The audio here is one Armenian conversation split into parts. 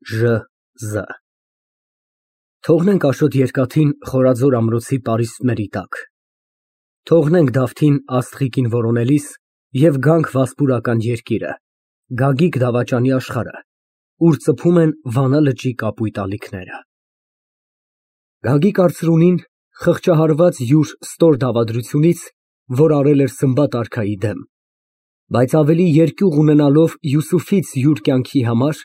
ԺԶ Թողնենք Աշոտ Երկաթին խորաձոր ամրոցի պարիսպների տակ, թողնենք Դավթին աստղիկին որոնելիս և գանք Վասպուրական երկիրը, Գագիկ դավաճանի աշխարհը, ուր ծփում են Վանա լճի կապույտ ալիքները։ Գագիկ արծրունին, խղճահարված յուր ստոր դավադրությունից, որ արել էր Սմբատ արքայի դեմ, բայց ավելի երկյուղ ունենալով Յուսուֆից յուր կյանքի համար,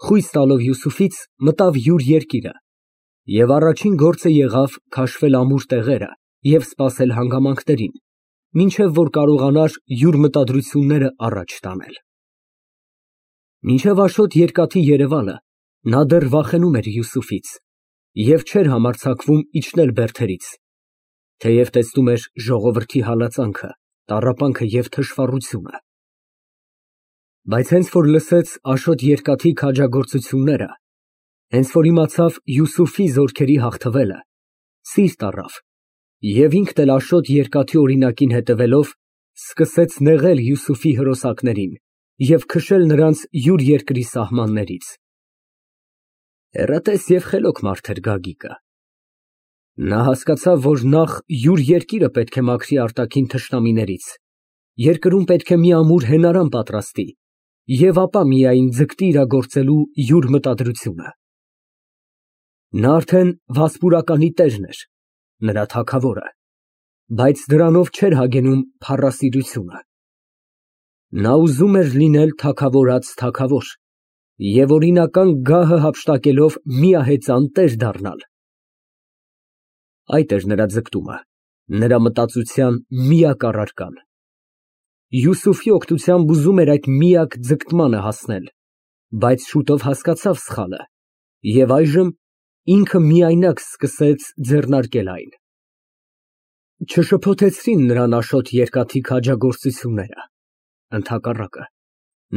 խույս տալով Յուսուֆից, մտավ յուր երկիրը և առաջին գործը եղավ քաշվել ամուր տեղերը և սպասել հանգամանքներին, մինչև որ կարողանար յուր մտադրությունները առաջ տանել։ Մինչև Աշոտ Երկաթի երևալը նա դեռ վախենում էր Յուսուֆից և չէր համարձակվում իջնել բերդերից, թեև տեսնում էր ժողովրդի հալածանքը, տառապանքը և թշվառությունը։ Բայց հենց որ լսեց Աշոտ Երկաթի քաջագործությունները, հենց որ իմացավ Յուսուֆի զորքերի հաղթվելը, սիրտ առավ և ինքն էլ Աշոտ Երկաթի օրինակին հետևելով, սկսեց նեղել Յուսուֆի հրոսակներին և քշել նրանց յուր երկրի սահմաններից։ Հեռատես և խելոք մարդ էր Գագիկը։ Նա հասկացավ, որ նախ յուր երկիրը պետք է մաքրի արտաքին թշնամիներից, երկրում պետք է մի ամուր հենարան պատրաստի և ապա միայն ձգտի իրագործելու յուր մտադրությունը։ Նա արդեն Վասպուրականի տերն էր, նրա թագավորը, բայց դրանով չէր հագենում փառասիրությունը։ Նա ուզում էր լինել թագավորած թագավոր և օրինական գահը հափշտակելով միահեծան տեր դառնալ։ Այդ էր նրա ձգտումը, նրա մտածության միակ առարկան։ Յուսուֆի օգնությամբ ուզում էր այդ միակ ձգտմանը հասնել, բայց շուտով հասկացավ սխալը և այժմ ինքը միայնակ սկսեց ձեռնարկել այն։ Չշփոթեցրին նրան Աշոտ Երկաթի քաջագործությունները, ընդհակառակը,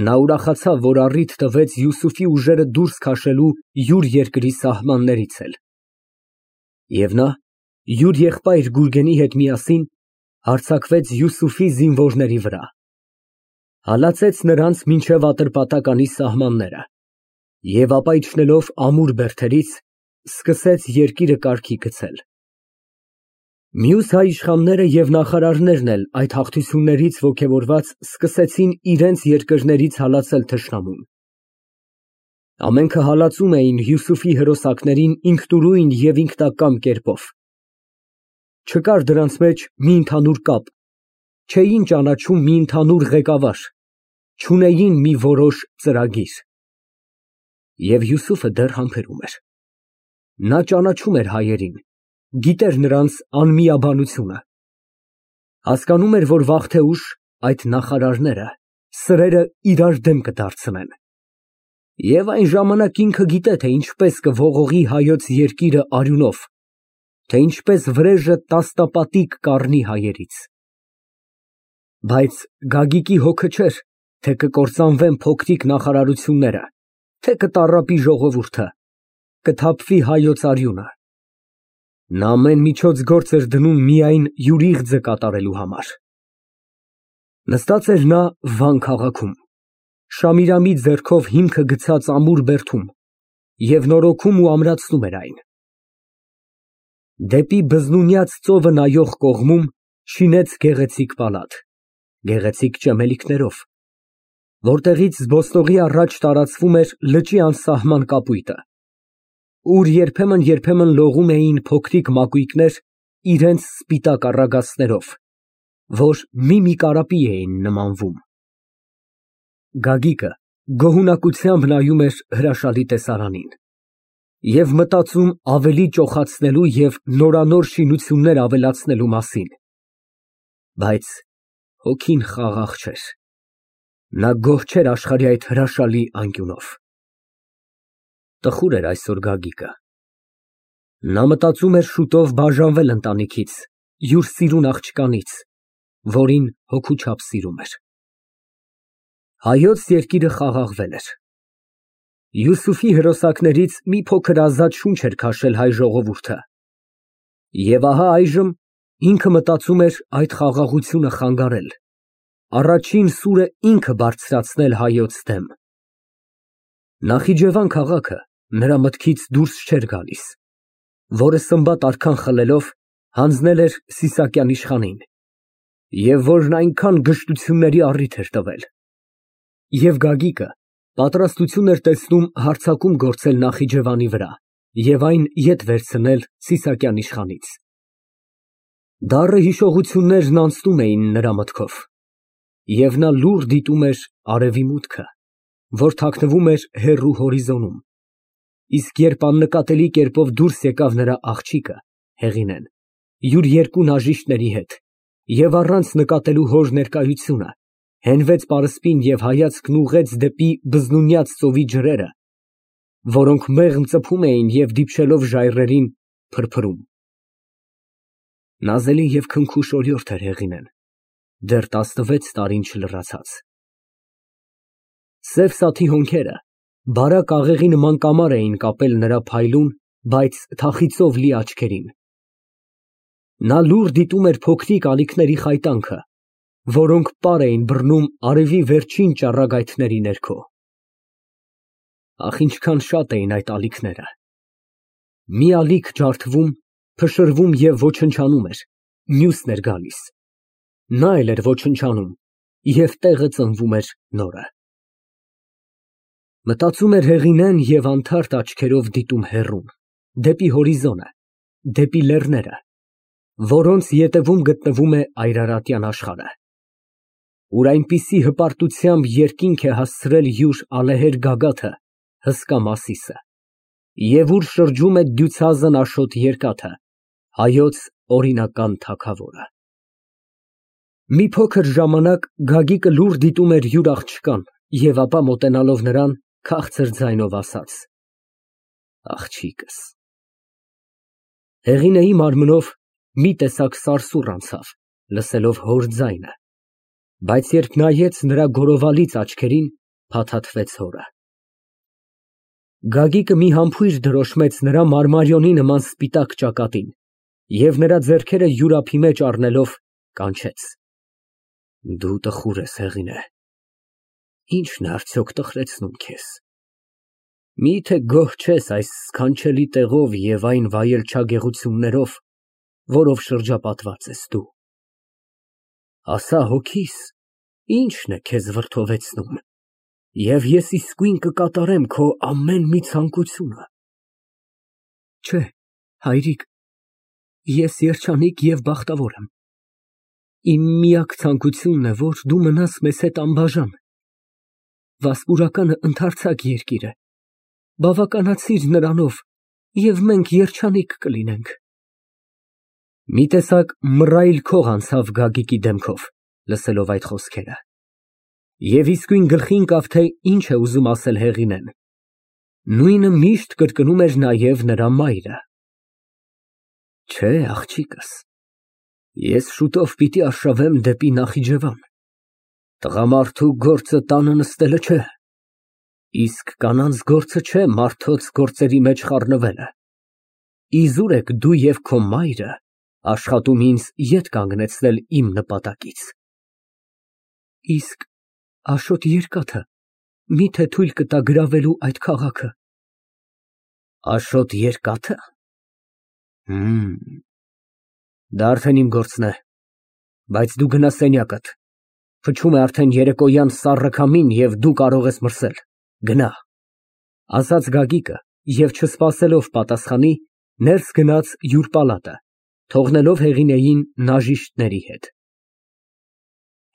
նա ուրախացավ, որ առիթ տվեց Յուսուֆի ուժերը դուրս քաշելու յուր երկրի սահմաններից էլ։ Եվ նա յուր եղբայր Գուրգենի հետ միասին հարձակվեց Յուսուֆի զինվորների վրա, հալածեց նրանց մինչև Ատրպատականի սահմանները և ապա իջնելով ամուր բերդերից, սկսեց երկիրը կարգի գցել։ Մյուս հայ իշխանները և նախարարներն էլ այդ հաղթություններից ոգևորված սկսեցին իրենց երկրներից հալածել թշնամուն։ Ամենքը հալածում էին Յուսուֆի հրոսակներին ինքնուրույն և ինքնակամ կերպով։ Չկար դրանց մեջ մի ընդհանուր կապ, չէին ճանաչում մի ընդհանուր ղեկավար, չունեին մի որոշ ծրագիր։ Եվ Յուսուֆը դեռ համբերում էր։ Նա ճանաչում էր հայերին, գիտեր նրանց անմիաբանությունը, հասկանում էր, որ վաղ թե ուշ այդ նախարարները, սրերը իրար դեմ կդարձնեն։ Եվ այն ժամանակ ինքը գիտե, թե ինչպես կողողի հայոց երկիրը արյունով, թե ինչպես վրեժը տասնապատիկ կառնի հայերից։ Բայց Գագիկի հոգը չէր, թե կկործանվեն փոքրիկ նախարարությունները, թե կտառապի ժողովուրդը, կթափվի հայոց արյունը։ Նա ամեն միջոց գործ էր դնում միայն յուր իղձը կատարելու համար։ Նստած էր նա Վան քաղաքում, Շամիրամի ձեռքով հիմքը գցած ամուր բերդում և նորոգում ու ամրացնում էր այն։ Դեպի բզնունյաց ծովը նայող կողմում շինեց գեղեցիկ պալատ, գեղեցիկ ճեմելիքներով, որտեղից զբոսնողի առաջ տարածվում էր լճի անսահման կապույտը, ուր երբեմն լողում էին փոքրիկ մակույկներ իրենց սպիտակ առագաստներով, որ մի կարապի էին նմանվում։ Գագիկը գոհունակությամբ նայում էր հրաշալի տեսարանին և մտածում ավելի ճոխացնելու և նորանոր շինություններ ավելացնելու մասին, բայց հոգին խաղաղ չէր, նա գոհ չէր աշխարհի այդ հրաշալի անկյունով։ Տխուր էր այսօր Գագիկը։ Նա մտածում էր շուտով բաժանվել ընտանիքից, յուր սիրուն աղջկանից, որին հոգու չափ սիրում էր։ Հայոց երկիրը խաղաղվել էր։ Յուսուֆի հրոսակներից մի փոքր ազատ շունչ էր քաշել հայ ժողովուրդը։ Եվ ահա այժմ ինքը մտածում էր այդ խաղաղությունը խանգարել, առաջին սուրը ինքը բարձրացնել հայոց դեմ։ Նախիջևան քաղաքը նրա մտքից դուրս չէր գալիս, որը սմբատ արքան խլելով հանձնել էր Սիսակյան իշխանին, և որն այնքան գժտությունների առիթ էր տվել։ Եվ Գագիկը պատրաստություն էր տեսնում հարձակում գործել Նախիջևանի վրա և այն ետ վերցնել Սիսակյան իշխանից։ Դառը հիշողություններն անցնում էին նրա մտքով, և նա լուռ դիտում էր արևի մուտքը, որ թաքնվում էր հեռու հորիզոնում, իսկ երբ աննկատելի կերպով դուրս եկավ նրա աղջիկը Հեղինեն յուր երկու նաժիշտների հետ և առանց նկատելու հոր ներկայությունը, հենվեց պարսպին և հայացքն ուղղեց դեպի բզնունյաց ծովի ջրերը, որոնք մեղմ ծփում էին և դիպչելով ժայռերին, փրփրում։ Նազելի և քնքուշ օրիորդ էր Հեղինեն, դեռ 16 տարին չլրացած։ Սև սաթի հոնքերը բարակ աղեղի նման կամար էին կապել նրա փայլուն, բայց թախիծով լի աչքերին։ Նա լուռ դիտում էր փոքրիկ ալիքների խայտանքը, որոնք պար էին բռնում արևի վերջին ճառագայթների ներքո։ Ախ, ինչքան շատ էին այդ ալիքները։ Մի ալիք ջարդվում, փշրվում և ոչնչանում էր, մյուսն էր գալիս։ Նա էլ էր ոչնչանում, և տեղը ծնվում էր նորը։ Մտածում էր Հեղինեն և անթարթ աչքերով դիտում հեռուն, դեպի հորիզոնը, դեպի լեռները, որոնց ետևում գտնվում է այրարատյան աշխարհը, ուր այնպիսի հպարտությամբ երկինք է հասցրել յուր ալեհեր գագաթը, հսկա Մասիսը, և ուր շրջում է դյուցազն Աշոտ երկաթը, հայոց օրինական թագավորը։ Մի փոքր ժամանակ Գագիկը լուռ դիտում էր յուր աղջկան և ապա մոտենալով նրան, քաղցր ձայնով ասաց. Աղջիկս։ Հեղինեի մարմնով մի տեսակ սարսուռ անցավ, լսելով հոր ձայնը, բայց երբ նայեց նրա գորովալից աչքերին, փաթաթվեց հորը։ Գագիկը մի համբույր դրոշմեց նրա մարմարիոնի նման սպիտակ ճակատին և նրա ձեռքերը յուր ափի մեջ առնելով կանչեց. Դու տխուր ես, Հեղինե, ի՞նչն է արդյոք տխրեցնում քեզ։ Միթե գոհ չես այս սքանչելի տեղով և այն վայելչագեղություններով, որով շրջապատված ես դու։ Ասա հոգիս, ի՞նչն է քեզ վրդովեցնում, և ես իսկույն կկատարեմ քո ամեն մի ցանկությունը։ Չէ, հայրիկ, ես երջանիկ և բախտավոր եմ։ Իմ միակ ցանկությունն է, որ դու մնաս մեզ հետ անբաժան։ Վասպուրականը ընդարձակ երկիր է, բավականացիր նրանով, և մենք երջանիկ կլինենք։ Մի տեսակ մռայլ քող անցավ Գագիկի դեմքով, լսելով այդ խոսքերը, և իսկույն գլխի ընկավ, թե ինչ է ուզում ասել Հեղինեն։ Նույնը միշտ կրկնում էր նաև նրա մայրը։ Չէ, աղջիկս, ես շուտով պիտի արշավեմ դեպի Նախիջևան։ Տղամարդու գործը տանը նստելը չէ, իսկ կանանց գործը չէ մարդոց գործերի մեջ խառնվելը։ Իզուր եք դու և քո մայրը աշխատում ինձ ետ կանգնեցնել իմ նպատակից։ Իսկ Աշոտ երկաթը մի՞թե թույլ կտա գրավելու այդ քաղաքը։ Աշոտ երկա՞թը։ Դա արդեն իմ գործն է, բայց դու գնա սենյակդ, փչում է արդեն երեկոյան սառը քամին և դու կարող ես մրսել, գնա, ասաց Գագիկը և չսպասելով պատասխանի, ներս գնաց յուր պալատը, թողնելով Հեղինեին նաժիշտների հետ։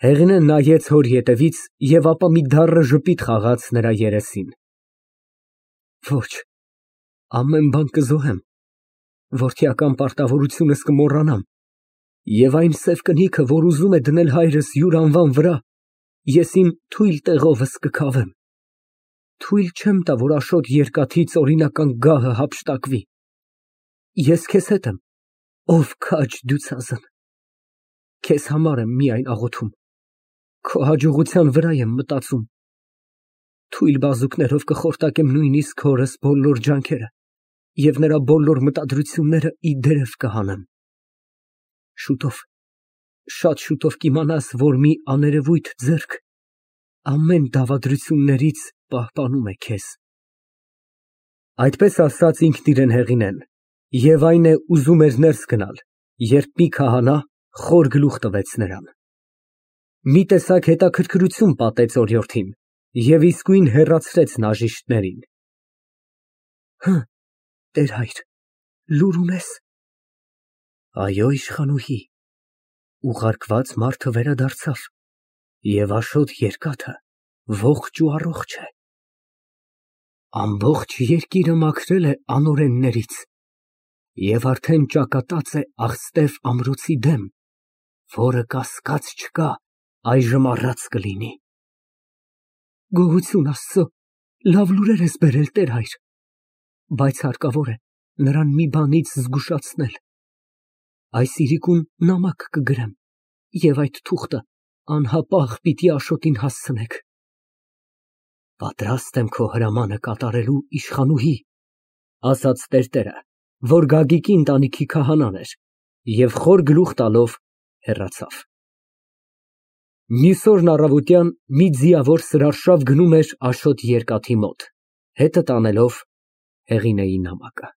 Հեղինեն նայեց հոր ետևից և ապա մի դառը ժպիտ խաղաց նրա երեսին։ Ոչ, ամեն բան կզոհեմ, որդիական պարտավորությունս կմոռանամ, և այն սև կնիքը, որ ուզում է դնել հայրս յուր անվան վրա, ես իմ թույլ տեղովս կքավեմ։ Թույլ չեմ տա, որ Աշոտ երկաթից օրինական գահը հափշտակվի։ Ես քեզ հետ եմ, ով քաջ դյուցազն։ Քեզ համար եմ միայն աղոթում, քո հաջողության վրա եմ մտածում։ Թույլ բազուկներով կխորտակեմ նույնիսկ հորս բոլոր ջանքերը և նրա բոլոր մտադրությունները ի դերև կհանեմ։ Շուտով, շատ շուտով կիմանաս, որ մի աներևույթ ձեռք ամեն դավադրություններից պահպանում է քեզ։ Այդպես ասած ինքն իրեն հեղինեն, և այն է ուզում էր ներս գնալ, երբ մի քահանա խոր գլուխ տվեց նրան։ Մի տեսակ հետաքրքրություն պատեց օրիորդին և իսկույն հեռացրեց նաժիշտներին։ Տեր-հայր, լուր ունե՞ս։ Այո, իշխանուհի, ուղարկված մարդը վերադարձավ և Աշոտ երկաթը ողջ ու առողջ է։ Ամբողջ երկիրը մաքրել է անօրեններից և արդեն ճակատած է աղստև ամրոցի դեմ, որը կասկած չկա, այժմ առած կլինի։ Գոհություն Աստծո, լավ լուրեր ես բերել, տեր֊հայր, բայց հարկավոր է նրան մի բանից զգուշացնել։ Այս իրիկուն նամակ կգրեմ և այդ թուղթը անհապաղ պիտի Աշոտին հասցնեք։ Պատրաստ եմ քո հրամանը կատարելու, իշխանուհի, ասաց տերտերը, որ Գագիկի ընտանիքի քահանան էր, և խոր գլուխ տալով հեռացավ։ Մյուս օրն առավոտյան մի ձիավոր սրարշավ գնում էր Աշոտ երկաթի մոտ, հետը տանելով հեղինեի նամակը։